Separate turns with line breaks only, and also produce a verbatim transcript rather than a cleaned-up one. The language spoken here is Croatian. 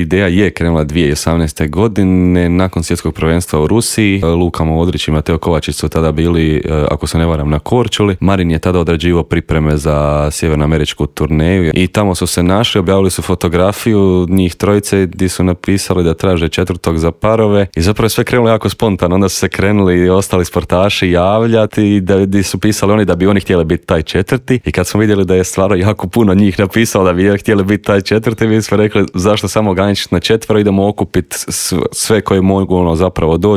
Ideja je krenula dvije tisuće osamnaeste. godine nakon svjetskog prvenstva u Rusiji. Luka Modrić i Mateo Kovačić su tada bili, ako se ne varam, na Korčuli. Marin je tada odrađivao pripreme za sjevernoameričku turneju i tamo su se našli, objavili su fotografiju njih trojice gdje su napisali da traže četvrtog za parove i zapravo je sve krenulo jako spontano. Onda su se krenuli i ostali sportaši javljati i da, gdje su pisali oni da bi oni htjeli biti taj četvrti i kad smo vidjeli da je stvarno jako puno njih napisalo da bi htjeli biti taj četvrti, mi smo rekli zašto samo ograničiti na četvero, idemo okupiti sve koje mogu ono zapravo doći